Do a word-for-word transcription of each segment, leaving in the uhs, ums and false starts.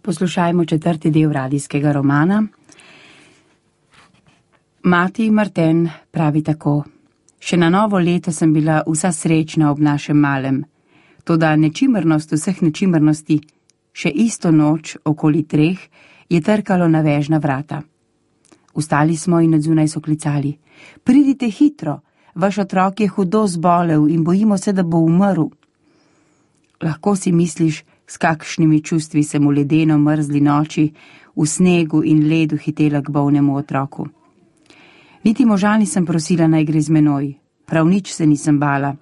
Poslušajmo četrti del radijskega romana. Mati Marten pravi tako: Še na novo leto sem bila vsa srečna ob našem malem, toda nečimrnost vseh nečimrnosti, še isto noč okoli treh, je trkalo na vežna vrata. Vstali smo in odzunaj so klicali: Pridite hitro, vaš otrok je hudo zbolel in bojimo se, da bo umrl. Lahko si misliš, s kakšnimi čustvi sem v ledeno mrzli noči, v snegu in ledu hitela k bolnemu otroku. Niti moža nisem prosila, naj gre z menoj, prav nič se nisem bala,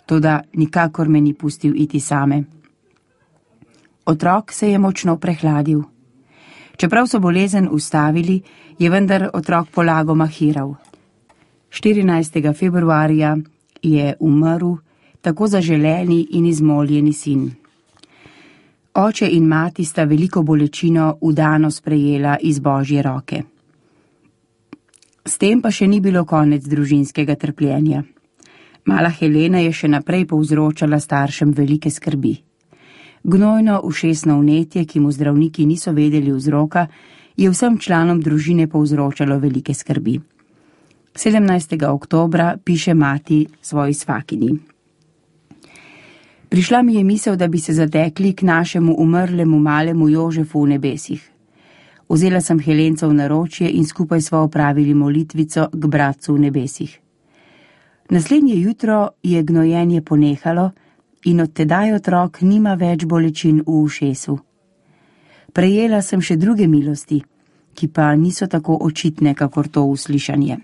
toda nikakor me ni pustil iti same. Otrok se je močno prehladil. Čeprav so bolezen ustavili, je vendar otrok polagoma hiral. štirinajstega februarja je umrl tako zaželeni in izmoljeni sin. Oče in mati sta veliko bolečino vdano sprejela iz Božje roke. S tem pa še ni bilo konec družinskega trpljenja. Mala Helena je še naprej povzročala staršem velike skrbi. Gnojno ušesno vnetje, ki mu zdravniki niso vedeli vzroka, je vsem članom družine povzročalo velike skrbi. sedemnajstega oktobra piše mati svoji svakini: Prišla mi je misel, da bi se zatekli k našemu umrlemu malemu Jožefu v nebesih. Vzela sem Helenco v naročje in skupaj sva opravili molitvico k bratcu v nebesih. Naslednje jutro je gnojenje ponehalo in od tedaj otrok nima več bolečin v ušesu. Prejela sem še druge milosti, ki pa niso tako očitne, kakor to uslišanje.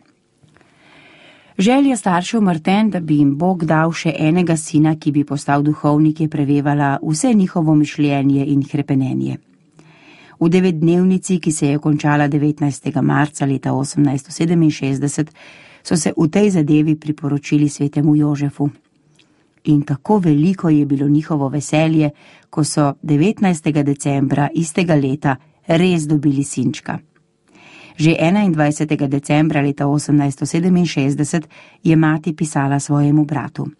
Želja staršev Marten, da bi jim Bog dal še enega sina, ki bi postal duhovnik, je prevevala vse njihovo mišljenje in hrepenenje. V devetdnevnici, ki se je končala devetnajstega marca leta osemnajststo sedeminšestdeset, so se v tej zadevi priporočili svetemu Jožefu. In tako veliko je bilo njihovo veselje, ko so devetnajstega decembra istega leta res dobili sinčka. Že enaindvajsetega decembra leta osemnajststo sedeminšestdeset je mati pisala svojemu bratu: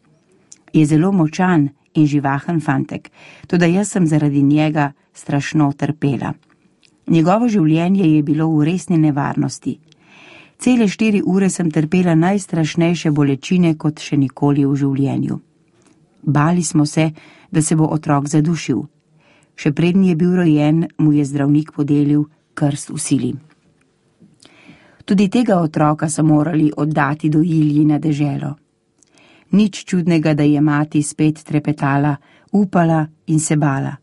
Je zelo močan in živahen fantek, toda jaz sem zaradi njega strašno trpela. Njegovo življenje je bilo v resni nevarnosti. Cele štiri ure sem trpela najstrašnejše bolečine kot še nikoli v življenju. Bali smo se, da se bo otrok zadušil. Še preden je bil rojen, mu je zdravnik podelil krst v sili. Tudi tega otroka so morali oddati dojilji na deželo. Nič čudnega, da je mati spet trepetala, upala in se bala.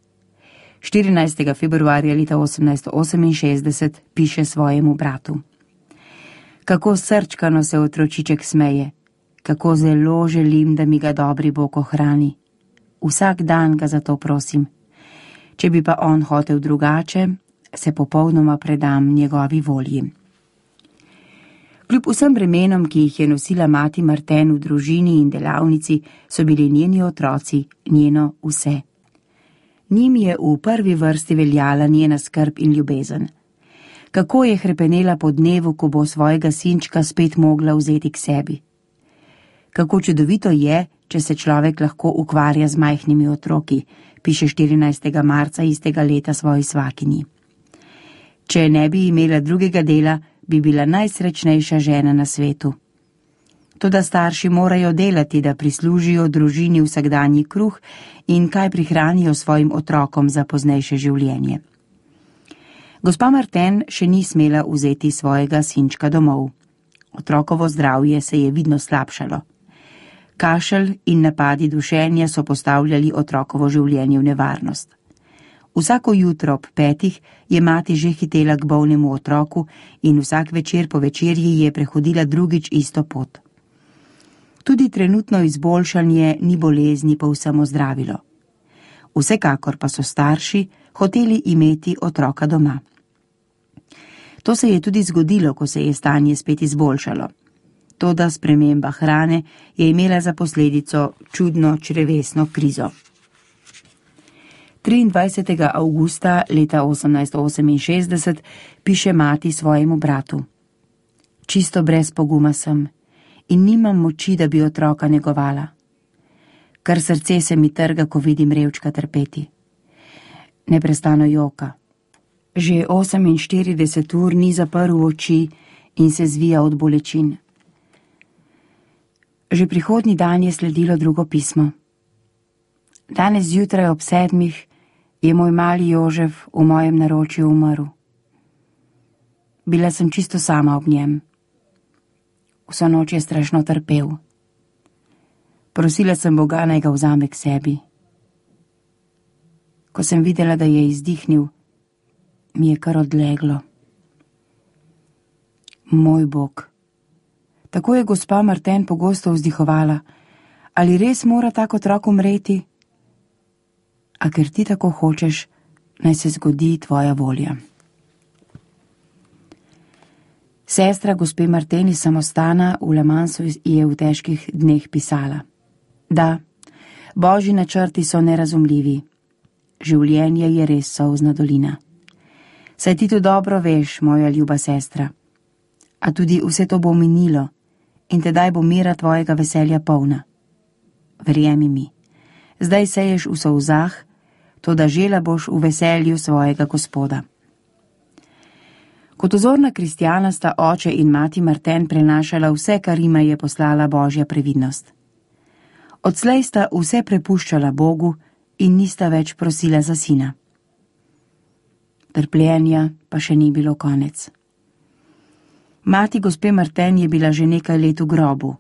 štirinajstega februarja leta osemnajststo oseminšestdeset piše svojemu bratu: Kako srčkano se otročiček smeje, kako zelo želim, da mi ga dobri Bog ohrani. Vsak dan ga zato prosim. Če bi pa on hotel drugače, se popolnoma predam njegovi volji. Kljub vsem bremenom, ki jih je nosila mati Marten v družini in delavnici, so bili njeni otroci njeno vse. Njim je v prvi vrsti veljala njena skrb in ljubezen. Kako je hrepenela po dnevu, ko bo svojega sinčka spet mogla vzeti k sebi. Kako čudovito je, če se človek lahko ukvarja z majhnimi otroki, piše štirinajstega marca istega leta svoji svakini. Če ne bi imela drugega dela, bi bila najsrečnejša žena na svetu. Toda starši morajo delati, da prislužijo družini vsakdanji kruh in kaj prihranijo svojim otrokom za poznejše življenje. Gospa Marten še ni smela vzeti svojega sinčka domov. Otrokovo zdravje se je vidno slabšalo. Kašelj in napadi dušenja so postavljali otrokovo življenje v nevarnost. Vsako jutro ob petih je mati že hitela k bolnemu otroku in vsak večer po večerji je prehodila drugič isto pot. Tudi trenutno izboljšanje ni bolezni povsem ozdravilo. Vsekakor pa so starši hoteli imeti otroka doma. To se je tudi zgodilo, ko se je stanje spet izboljšalo. Toda sprememba hrane je imela za posledico čudno črevesno krizo. triindvajsetega avgusta leta osemnajststo oseminšestdeset piše mati svojemu bratu: Čisto brez poguma sem in nimam moči, da bi otroka negovala. Kar srce se mi trga, ko vidim revčka trpeti. Neprestano joka, Že oseminštirideset ur ni zaprl oči in se zvija od bolečin. Že prihodnji dan je sledilo drugo pismo. Danes zjutraj ob sedmih je moj mali Jožef v mojem naročju umrl. Bila sem čisto sama ob njem. Vso noč je strašno trpel. Prosila sem Boga, naj ga vzame k sebi. Ko sem videla, da je izdihnil, mi je kar odleglo. Moj Bog. Tako je gospa Martin pogosto vzdihovala. Ali res mora tak otrok umreti? A ker ti tako hočeš, naj se zgodi tvoja volja. Sestra gospe Martin iz samostana v Le Mansu je v težkih dneh pisala. Da, božji načrti so nerazumljivi. Življenje je res solzna dolina. Saj ti to dobro veš, moja ljuba sestra. A tudi vse to bo minilo in tedaj bo mira tvojega veselja polna. Verjemi mi, zdaj seješ v solzah, toda žela boš v veselju svojega Gospoda. Kot ozorna kristjana sta oče in mati Martin prenašala vse, kar jima je poslala božja previdnost. Odslej sta vse prepuščala Bogu in nista več prosila za sina. Trpljenja pa še ni bilo konec. Mati gospe Martin je bila že nekaj let v grobu.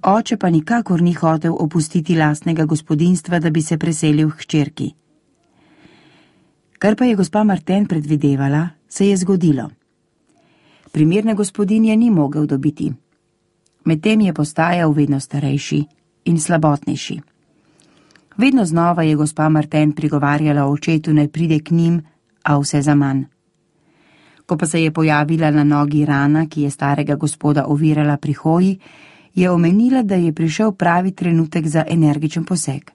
Oče pa nikakor ni hotel opustiti lastnega gospodinjstva, da bi se preselil k hčerki. Kar pa je gospa Martin predvidevala, se je zgodilo. Primerne gospodinje ni mogel dobiti. Medtem je postajal vedno starejši in slabotnejši. Vedno znova je gospa Martin prigovarjala očetu, naj pride k njim, a vse zaman. Ko pa se je pojavila na nogi rana, ki je starega gospoda ovirala pri hoji, je omenila, da je prišel pravi trenutek za energičen poseg.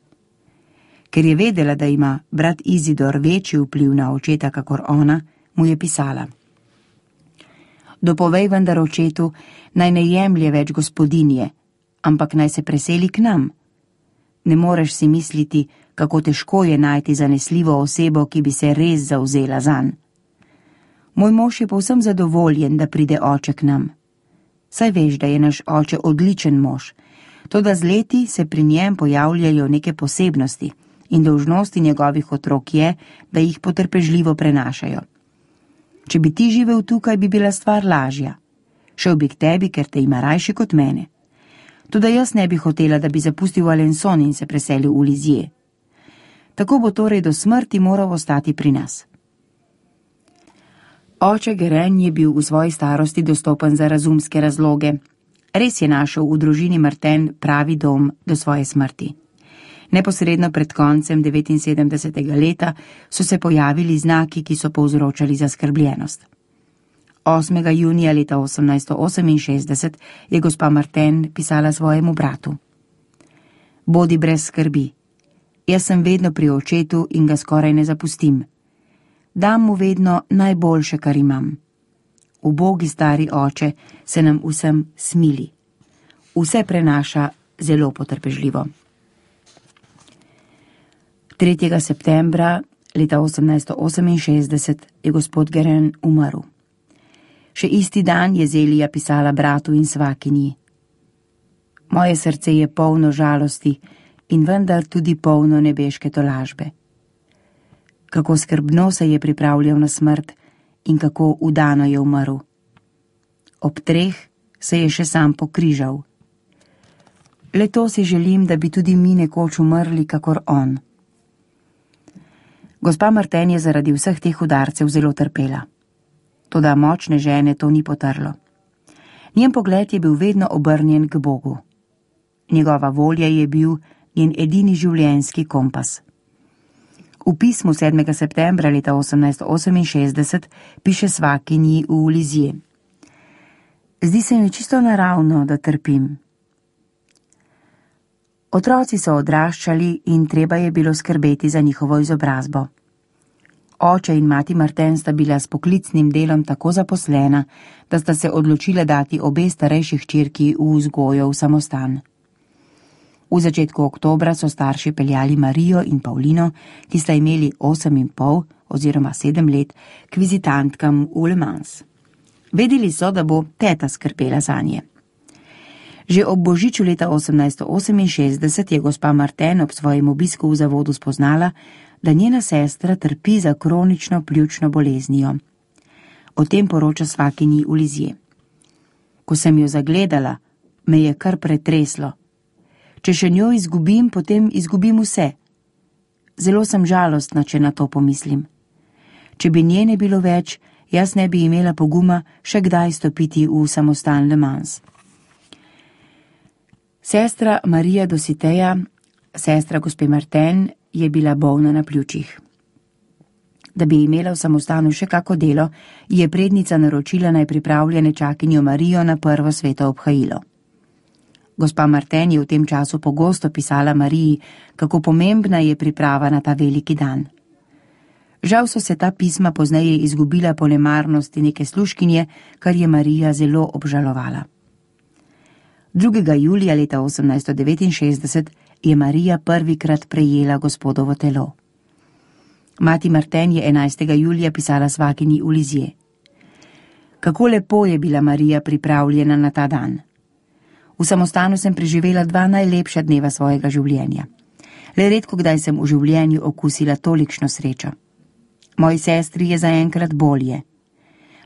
Ker je vedela, da ima brat Izidor večji vpliv na očeta kakor ona, mu je pisala. Dopovej vendar očetu, naj ne jemlje več gospodinje, ampak naj se preseli k nam. Ne moreš si misliti, kako težko je najti zanesljivo osebo, ki bi se res zavzela zanj. Moj mož je povsem zadovoljen, da pride oče k nam. Saj veš, da je naš oče odličen mož, toda z leti se pri njem pojavljajo neke posebnosti in dolžnosti njegovih otrok je, da jih potrpežljivo prenašajo. Če bi ti živel tukaj, bi bila stvar lažja. Šel bi k tebi, ker te ima rajši kot mene. Toda jaz ne bi hotela, da bi zapustil Alençon in se preselil v Lizije. Tako bo torej do smrti moral ostati pri nas. Oče Geren je bil v svoji starosti dostopen za razumske razloge. Res je našel v družini Martin pravi dom do svoje smrti. Neposredno pred koncem devetinsedemdesetega leta so se pojavili znaki, ki so povzročali zaskrbljenost. osmega junija leta osemnajststo oseminšestdeset je gospa Martin pisala svojemu bratu. Bodi brez skrbi. Jaz sem vedno pri očetu in ga skoraj ne zapustim. Dam mu vedno najboljše, kar imam. Ubogi stari oče se nam vsem smili. Vse prenaša zelo potrpežljivo. tretjega septembra leta osemnajststo oseminšestdeset je gospod Geren umrl. Še isti dan je Zelija pisala bratu in svakinji. Moje srce je polno žalosti in vendar tudi polno nebeške tolažbe. Kako skrbno se je pripravljal na smrt in kako udano je umrl. Ob treh se je še sam pokrižal. Le to si želim, da bi tudi mi nekoč umrli kakor on. Gospa Martin je zaradi vseh teh udarcev zelo trpela. Toda močne žene to ni potrlo. Njen pogled je bil vedno obrnjen k Bogu. Njegova volja je bil njen edini življenjski kompas. V pismu sedmega septembra leta osemnajststo oseminšestdeset piše svakinji v Lizije. Zdi se mi čisto naravno, da trpim. Otroci so odraščali in treba je bilo skrbeti za njihovo izobrazbo. Oče in mati Martin sta bila s poklicnim delom tako zaposlena, da sta se odločila dati obe starejši hčerki v vzgojo v samostan. V začetku oktobra so starši peljali Marijo in Paulino, ki sta imeli osem in pol oziroma sedem let, k vizitantkam v Le Mans. Vedeli so, da bo teta skrbela zanje. Že ob božiču leta osemnajststo oseminšestdeset je gospa Martin ob svojem obisku v zavodu spoznala, da njena sestra trpi za kronično pljučno boleznijo. O tem poroča svakinji v Lizije. Ko sem jo zagledala, me je kar pretreslo. Če še njo izgubim, potem izgubim vse. Zelo sem žalostna, če na to pomislim. Če bi nje ne bilo več, jaz ne bi imela poguma še kdaj stopiti v samostan Le Mans. Sestra Marija Dositeja, sestra gospe Martin, je bila bolna na pljučih. Da bi imela v samostanu še kako delo, je prednica naročila naj pripravlja nečakinjo Marijo na prvo sveto obhajilo. Gospa Martin je v tem času pogosto pisala Mariji, kako pomembna je priprava na ta veliki dan. Žal so se ta pisma pozneje izgubila po nemarnosti neke služkinje, kar je Marija zelo obžalovala. drugega julija leta osemnajststo devetinšestdeset je Marija prvikrat prejela gospodovo telo. Mati Martin je enajstega julija pisala svakinji v Lizije. Kako lepo je bila Marija pripravljena na ta dan. V samostanu sem preživela dva najlepša dneva svojega življenja. Le redko kdaj sem v življenju okusila tolikšno srečo. Moji sestri je zaenkrat bolje.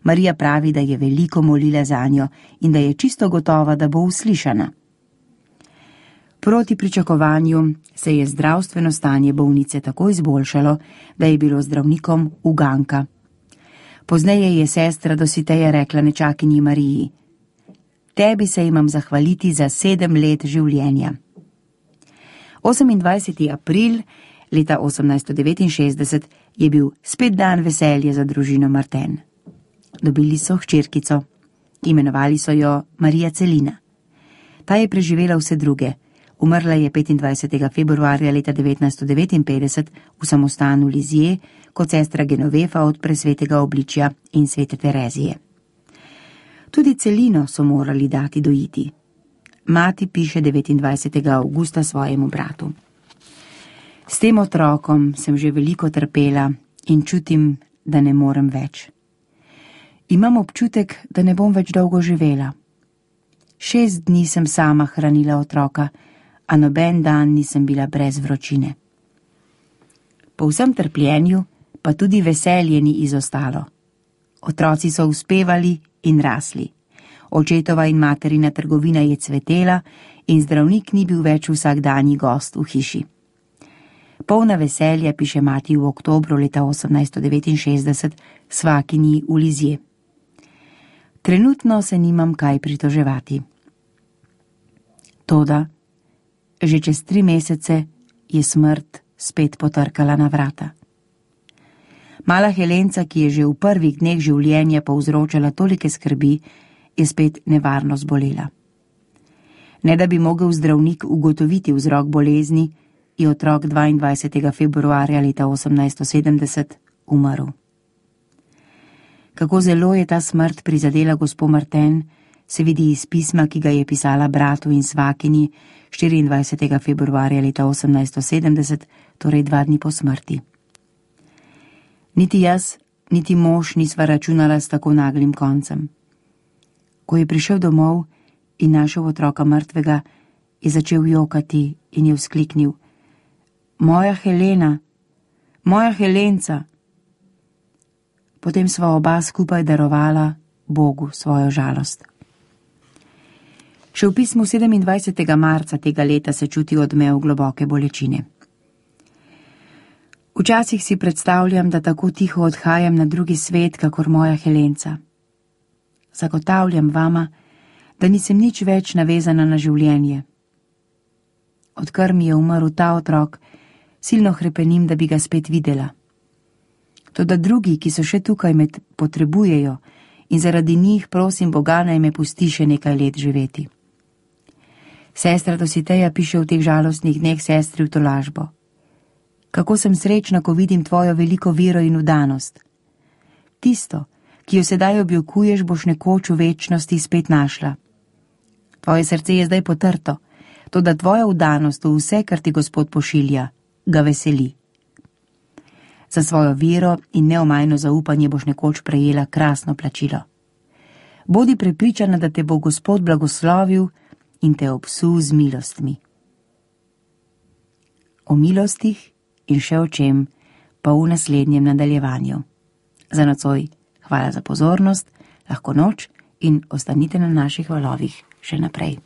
Marija pravi, da je veliko molila zanjo in da je čisto gotova, da bo uslišana. Proti pričakovanju se je zdravstveno stanje bolnice tako izboljšalo, da je bilo zdravnikom uganka. Pozneje je sestra Dositeja rekla nečakinji Mariji: Tebi se imam zahvaliti za sedem let življenja. osemindvajseti april leta osemnajststo devetinšestdeset je bil spet dan veselja za družino Martin. Dobili so hčerkico. Imenovali so jo Marija Celina. Ta je preživela vse druge. Umrla je petindvajsetega februarja leta devetnajststo devetinpetdeset v samostanu Lizije kot sestra Genovefa od presvetega obličja in svete Terezije. Tudi Celino so morali dati dojiti. Mati piše devetindvajsetega avgusta svojemu bratu: S tem otrokom sem že veliko trpela in čutim, da ne morem več. Imam občutek, da ne bom več dolgo živela. Šest dni sem sama hranila otroka, a noben dan nisem bila brez vročine. Po vsem trpljenju pa tudi veselje ni izostalo. Otroci so uspevali in rasli. Očetova in materina trgovina je cvetela in zdravnik ni bil več vsakdanji gost v hiši. Polna veselja, piše mati v oktobru leta osemnajststo devetinšestdeset svakinji v Lizije. Trenutno se nimam kaj pritoževati. Toda, že čez tri mesece je smrt spet potrkala na vrata. Mala Helenca, ki je že v prvih dneh življenja povzročala tolike skrbi, je spet nevarno zbolela. Ne da bi mogel zdravnik ugotoviti vzrok bolezni, je otrok dvaindvajsetega februarja leta osemnajststo sedemdeset umrl. Kako zelo je ta smrt prizadela gospo Martin, se vidi iz pisma, ki ga je pisala bratu in svakinji štiriindvajsetega februarja leta osemnajststo sedemdeset, torej dva dni po smrti. Niti jaz, niti mož nisva računala s tako naglim koncem. Ko je prišel domov in našel otroka mrtvega, je začel jokati in je vzkliknil: Moja Helena, moja Helenca. Potem sva oba skupaj darovala Bogu svojo žalost. Še v pismu sedemindvajsetega marca tega leta se čuti odmev globoke bolečine. Včasih si predstavljam, da tako tiho odhajam na drugi svet, kakor moja Helenca. Zagotavljam vama, da nisem nič več navezana na življenje. Odkar mi je umrl ta otrok, silno hrepenim, da bi ga spet videla. Toda drugi, ki so še tukaj, me potrebujejo in zaradi njih prosim Boga, naj me pusti še nekaj let živeti. Sestra Dositeja piše v teh žalostnih dneh sestri v tolažbo: Kako sem srečna, ko vidim tvojo veliko vero in vdanost. Tisto, ki jo sedaj objokuješ, boš nekoč v večnosti spet našla. Tvoje srce je zdaj potrto, toda tvoja vdanost v vse, kar ti Gospod pošilja, ga veseli. Za svojo vero in neomajno zaupanje boš nekoč prejela krasno plačilo. Bodi prepričana, da te bo Gospod blagoslovil in te obsul z milostmi. O milostih in še o čem pa v naslednjem nadaljevanju. Za nocoj hvala za pozornost, lahko noč in ostanite na naših valovih še naprej.